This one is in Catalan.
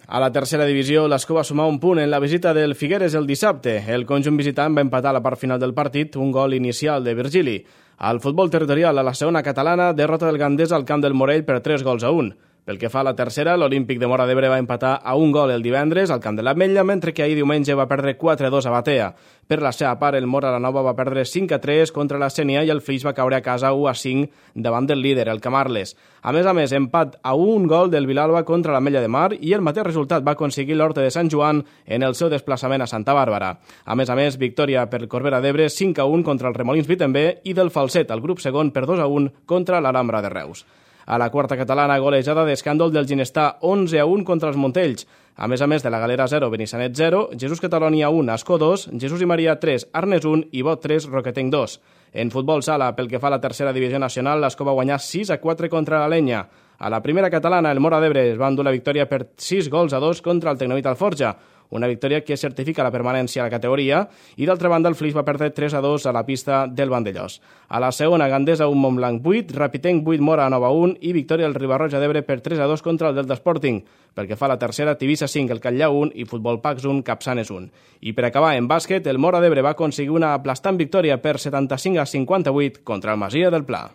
A la tercera divisió, l'Escó va sumar un punt en la visita del Figueres el dissabte. El conjunt visitant va empatar a la part final del partit un gol inicial de Virgili. Al futbol territorial, a la segona catalana, derrota del Gandesa al camp del Morell per 3-1. Pel que fa a la tercera, l'Olímpic de Móra d'Ebre va empatar a un gol el divendres al camp de l'Ametlla, mentre que ahir diumenge va perdre 4-2 a Batea. Per la seva part, el Móra la Nova va perdre 5-3 contra la Sénia i el Flix va caure a casa 1-5 davant del líder, el Camarles. A més, empat a un gol del Vilalba contra l'Ametlla de Mar i el mateix resultat va aconseguir l'Horta de Sant Joan en el seu desplaçament a Santa Bàrbara. A més, victòria per Corbera d'Ebre 5-1 contra el Remolins Vitembé i del Falset, al grup segon, per 2-1 contra l'Alhambra de Reus. A la quarta catalana, golejada d'escàndol del Ginestà 11-1 contra els Montells. A més de la Galera 0, Benissanet 0, Jesús Catalònia 1, Ascó 2, Jesús i Maria 3, Arnes 1 i Bot 3, Roquetenc 2. En futbol sala, pel que fa a la tercera divisió nacional, l'Ascó va guanyar 6-4 contra la Lenya. A la primera catalana, el Móra d'Ebre es va endur la victòria per 6-2 contra el Tecnovit Alforja, una victòria que certifica la permanència a la categoria, i d'altra banda el Flix va perdre 3-2 a la pista del Vandellós. A la segona, Gandesa 1, Montblanc 8, Rapitenc 8, Móra Nova 1 i victòria del Ribarroja d'Ebre per 3-2 contra el Delta Sporting. Pel que fa a la tercera, Tivissa 5, el Catllà 1 i Futbol Pacs 1, Capçanes 1. I per acabar, en bàsquet, el Móra d'Ebre va aconseguir una aplastant victòria per 75-58 contra el Masia del Pla.